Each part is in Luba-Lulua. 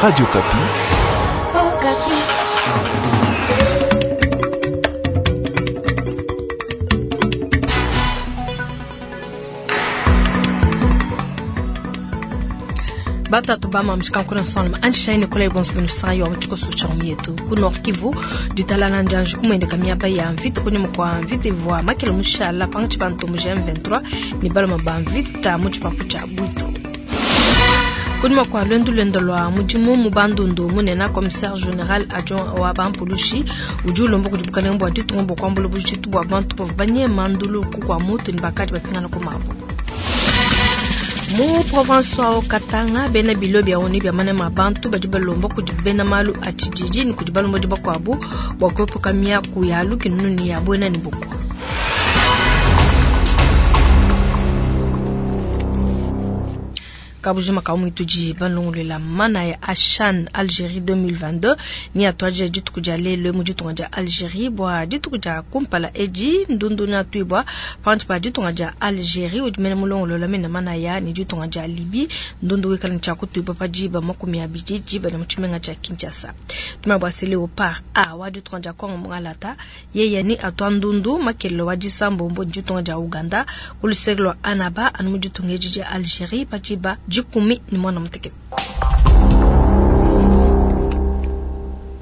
Radio Okapi. Batatu ba mamshika nkuna nsonga anshine kola ibonso binu sayo wa mchiko sucha mietu ku Nord Kivu ditalala njanju kumwendeka miaba ya mvita kunyuma kwa mvita ivwa makela mushala pangachi bantu mu M23 ni baloma ba mvita mu tshipapu tshia Bwito. Kunyuma kwa lwendo lwendo lwa mudimu mu bandundu munena commissaire général adjoint wa bampulushi udi ulomba kudi bukalenge bua ditunga bua kuambula bujitu bua bantu bavua banyema ndulu ku kua mutu ne bakadi bapingana ku mabu. Mu province wa Katanga bena bilo bia oni bia manema bantu badi balomba kudi bena malu a tshididi ne kudi balombodi bakuabu bua kuepuka miaku ya lukinunu ne ya buena ne bukua. Kabujima ka mwitudi balongolola mana ya Achan Algérie 2022 ni atwaje dituku dia lelo mu ditunga dia Algérie bua dituku dia kumpala edi ndundu na tuibwa pantu pa ditunga dia Algérie udi mene mulongolola mena mana ya ni ditunga dia Libye ndundu wikala ni tshia kutuibwa pa diba 20 diba na mutshimenga tshia Kinshasa. Tuma bua sele au par A wa ditunga dia Congo mungalata yeye ni atwa ndundu makelelo wa disambombo ditunga dia Uganda kuluseke lwa Annaba anu mu ditunga edi dia Algérie pa diba 18.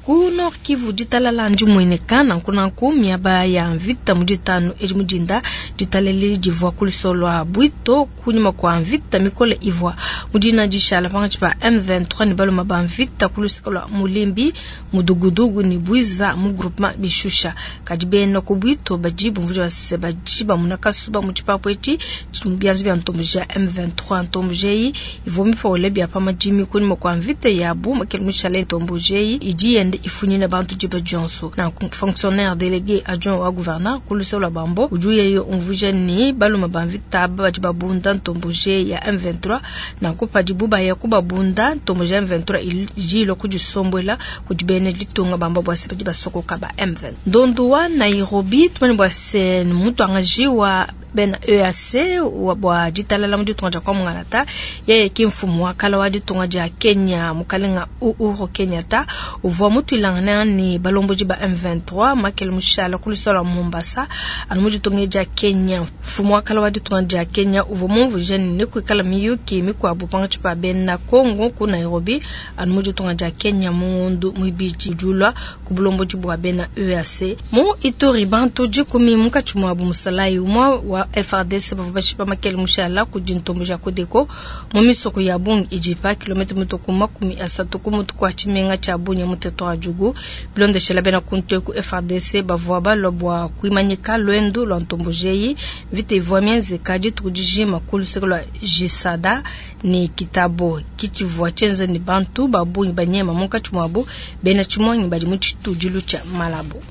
Ku Nord Kivu ditalala ndimweneka nankunanku miaba ya mvita mu ditanu edi mudinda ditalele divua ku lua Bwito kunyima kua mvita mikole ivua mudina dishala pangatshi pa M23 ne baloma ba mvita ku luseke lua Mulimbi Mudugudugu ne Bwiza mu groupement Bishusha. Kadi bena ku Bwito badi bumvuija base badi bamuna kasuba mu tshipapu etshi bianza bia ntomboji ya M23. Ntomboji eyi ivua mipole bia pa madimi kunyima kua mvita yabu makele mushala ntomboji eyi idi yende ifunyina bantu diba dionso. Na fonctionnaire délégué adjoint wa gouverneur ku luseke lua Bambo udi yeyo umvuija ni baluma ba mvita badi babunda ntomboji ya M23 nanku padibu baya kubabunda ntomboji ya M23 idi ilua kudisombuela kudi bena ditunga bamba bua se badi basokoka ba M23. Ndondu wa Nairobi tumane bua se mutuangaji wa bena EAC wa bua ditalala mu ditunga dia kwa Mungalata yeye ki mfumu wa kala wa ditunga dia Kenya mukalenga Uhuru Kenyatta uvua mutuilangana ni balomboji ba M23 makele mushala ku luseke lua Mombasa anu mu ditunga dia Kenya. Mfumu wa kala wa ditunga dia Kenya uvua mumvuije ne kuikala miyuki mikuabu pangatshi pa bena Congo ku Nairobi anu mu ditunga dia Kenya mu ngondu muibidi udi ku bulomboji bua bena EAC. Mu Ituri bantu 10 munkatshi muabu musalayi umue wa FARDC bavua bashipa makele mushala kudi ntomboji ya Codeco mu misoko ya bungi idi pa kilomètre mutuku 30 ku mutu kua tshimenga tshia Bunia mu territoire wa Djugu. Bilondeshela bena kuntu eku FARDC bavua balua bua kuimanyika lwendo lua ntomboji eyi. Mvita ivua mienzeka dituku dijima ku luseke lua Jisada ne Kitabo kitshivua tshienza ne bantu ba bungi banyema munkatshi muabu bena tshimuangi badi mu tshitudilu tshia Malabo.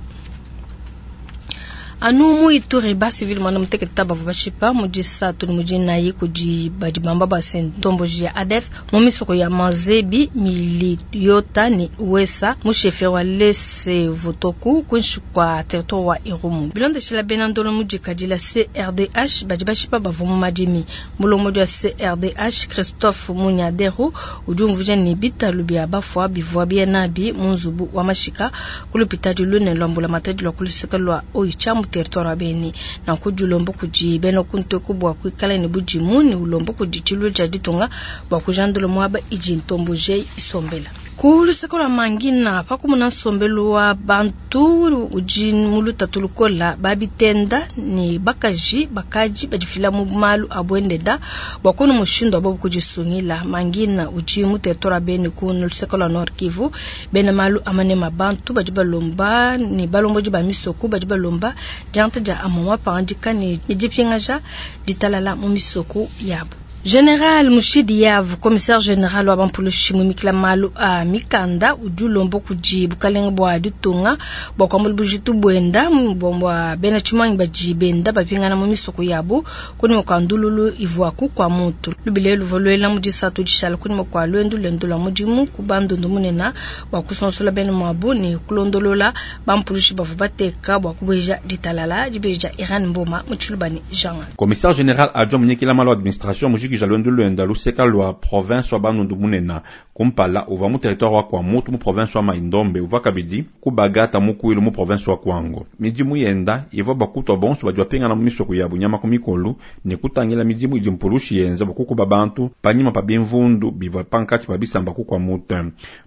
Anu mu Ituri ba civil mwana muteketa bavua bashipa mu disatu ne mu dinayi kudi badi bamba ba se ntomboji ya ADF mu misoko ya Mazebi, Miliyota ne Wesa mu chef wa Lese Votoku kuinshi kua territoire wa Irumu. Bilondeshela bena ndolo mu dikadila CRDH badi bashipa bavua mu madimi. Mulombodi wa CRDH Christophe Munyaderu udi umvuija ne bitalu bia bafua bivua bienabi mu nzubu wa mashika ku lupitadi lunene lua mbulamatadi lua ku luseke lua Oicha mu territoire wa Beni. Nanku dilomba kudi bena kunteku bua kuikala ne budimu ne ulomba kudi tshilu tshia ditunga bua kujandula muaba idi ntomboji isombela. Ku luseke lua Mangina pakumuna nsombelu wa bantu udi mu lutatu lukola babitenda ne bakaji bakaji badifila mu malu a buendenda bua kunu mushindu wa bobu kudisungila. Mangina udi mu territoire wa Beni ku luseke lua Nord Kivu bena malu amanema bantu badi balomba ne balombodi ba misoko badi balomba dianta dia amama pandika ne dipingaja ditalala mu misoko yabo. Général Mushidi Yav, commissaire général wa bampulushi mumikila malu a mikanda udi ulomba kudi bukalenge bua ditunga bua kuambula bujitu buenda bua bena tshimuangi badi benda bapingana mu misoko yabo kunyima kua ndululu ivuaku kua muntu. Lubile luvua luela mu disatu dishala kunyima kua luendu luendu lua mudimu ku bandundu munene bua kusonsola bena muabu ne kulondolola bampulushi bavua bateka bua kubueja ditalala dibeja Iran Mboma mu Tshilubani Jean. Commissaire général adjoint munyikila malu administration mujiki mujikija luendu luenda luseka lua province wa Bandundu munena. Kumpala uvua mu territoire wa Kwamouth mu province wa Mai-Ndombe, uvua kabidi ku Bagata mu Kwilu mu province wa Kwango. Midimu yenda ivua bua kutua bonso badi bapingana mu misoko yabu nyama ku mikolu ne kutangila midimu idi mpulushi yenza bua kukuba bantu panyima pa bimvundu bivua pankatshi pa bisamba ku Kwamouth.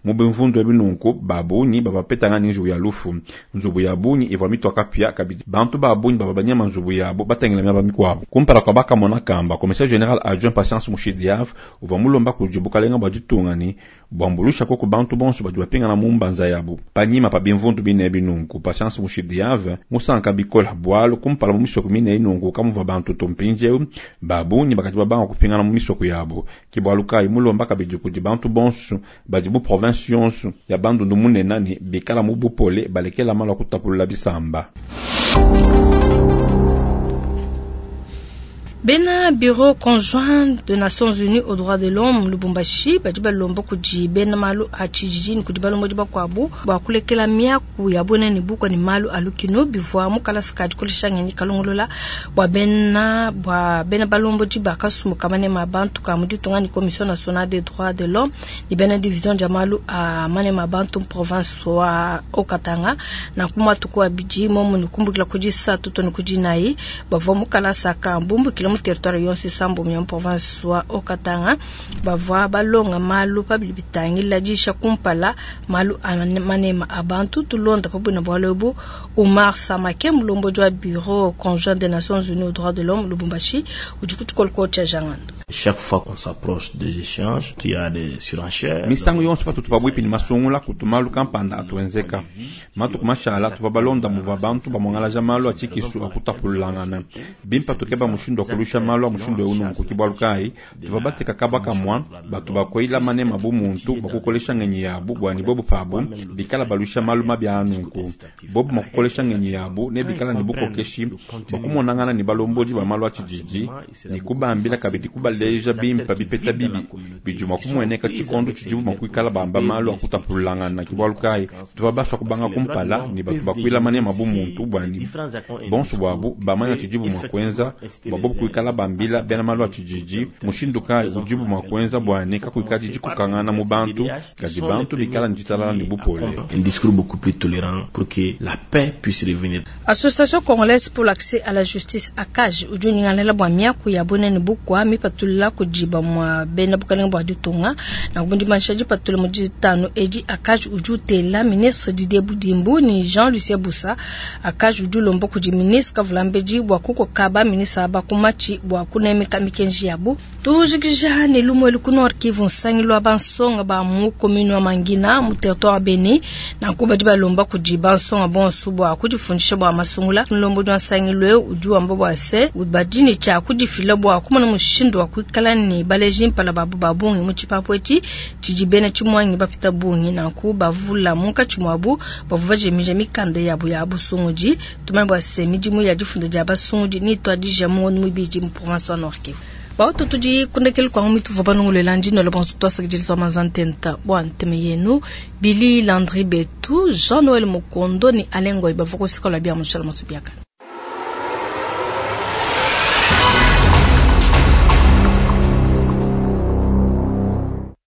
Mu bimvundu ebi nunku ba bungi bavua bapetangana ne njiwu ya lufu. Nzubu ya bungi ivua mitua kapia, kabidi bantu ba bungi bavua banyema nzubu yabu batangila miaba mikuabu. Kumpala kua bakamona kamba, commissaire general adjoint Patience Mushidiav uvua mulomba kudi bukalenga bua ditunga ne buambuluisha koku bantu bonso badi bapingana mu mbanza yabu panyima pa bimvundu bine ebi nunku. Patience Mushidiav musanka bikola bualu kumpala mu misoko mine nunku kamuvua bantu to, mpindieu ba bungi bakadi babanga kupingana mu misoko yabu. Ke bualu kayi mulomba kabidi kudi bantu bonso badi mu province yonso ya Bandundu munena ne bikala mu bupole balekela malu a kutapulula bisamba. Bena Bureau conjoint de Nations Unies aux droits de l'homme Lubumbashi badi balomba kudi bena malu a tshijiji ne kudi balombodi bakuabu bua kulekela miaku ya buena ne bukua ne malu a lukinu bivua mu kalasa ka dikolesha ngenyi kalongolola bua bena bua bena balombodi ba kasumbu ka manema a bantu ka mu ditunga ne Commission nationale des droits de l'homme ne bena division dia malu a manema a bantu mu province wa Haut-Katanga. Nanku matuku abidi momu ne kumbukila ku disatu to ne ku dinayi bavua mu kalasa ka bumbukila mu territoire yonso isambombo ya mu province wa Haut-Katanga bavua balonga malu pa bidi bitangila disha kumpala malu a manema a bantu. Tulonda pa buina bualu ebu Oumar Samake, mulombodi wa bureau conjoint des Nations Unies aux droits de l'homme Lubumbashi, udi ku tshikolokolo tshia Janganda. Chaque fois qu'on s'approche des échanges, il y a des surenchères. Misangu yonso patutu pabuipi ne masungula kutu malu kampanda atuenzeka. Matuku mashala tuvua balonda muvua bantu bamuangalaja malu a tshikisu a kutapululangana. Bimpa tukeba mushindu wa kulusha malu a mushindu eu nunku ke bualu kayi tuvua bateka kaba kamua batu bakuila manema bu muntu bua kukolesha ngenyi yabu bua ne bobu pabu bikala balusha malu mabi aa nunku. Bobu mua kukolesha ngenyi yabu ne bikala ne bukokeshi bua kumonangana ne balombodi ba malu a tshididi ne kubambila kabidi kubaleja bimpe bipeta bibi bidi mua kumueneka tshikondo tshidibu mua kuikala bamba malu a kutapululangana. Ke bualu kayi tuvua basua kubanga kumpala ne batu bakuila manema bu muntu bua ne bonso buabu bamanya tshidibu mua kuenza bua bobu kuikala bambila bena malu a tshididi mushindu kayi udibu mua kuenza bua ne kakuikadi dikokangana mu bantu, kadi bantu bikala ne ditalala ne bupole. Un discours beaucoup plus tolérant pour que la paix puisse revenir. Association congolaise pour l'accès à la justice ACAJ udi unyingalala bua miaku ya bunene bukua mipatulula kudi bamue bena bukalenge bua ditunga. Nanku mu dimanyisha dipatula mu ditanu edi, ACAJ udi utela ministre Didier Budimbu ne Jean-Lucien Bussa. ACAJ udi ulomba kudi ministre Kavulambedi bua kukoka ba ministre aba ku matshi bua kunemeka mikenji yabu. Tujikija ne lumu elu ku Nord Kivu, nsangilu wa bansonga ba mu commune wa Mangina mu territoire wa Beni. Nanku badi balomba kudi bansonga bonso bua kudifundisha bua masungula. Mulombodi wa nsangilu eu udi wamba bua se badi ne tshia kudifila bua kumona mushindu wa kuikala ne baleji mpala babu ba bungi mu tshipapu etshi tshidi bena tshimuangi bapita bungi. Nanku bavula munkatshi muabu bavua bajimija mikanda yabu ya busungudi. Tumanye bua se midimu ya difunda dia basungudi nituadija mu ngondo muibidi mu province wa Nord Kivu. Bautu tudi kundekelu kwangu mituvua banungulela ndino bonso twasakidila twa mazantenta bua nteme yenu Billy Landry Betu Jean Noël Mukondo ni Alain Ngoy bavua kusikola bia mushala masubiakana.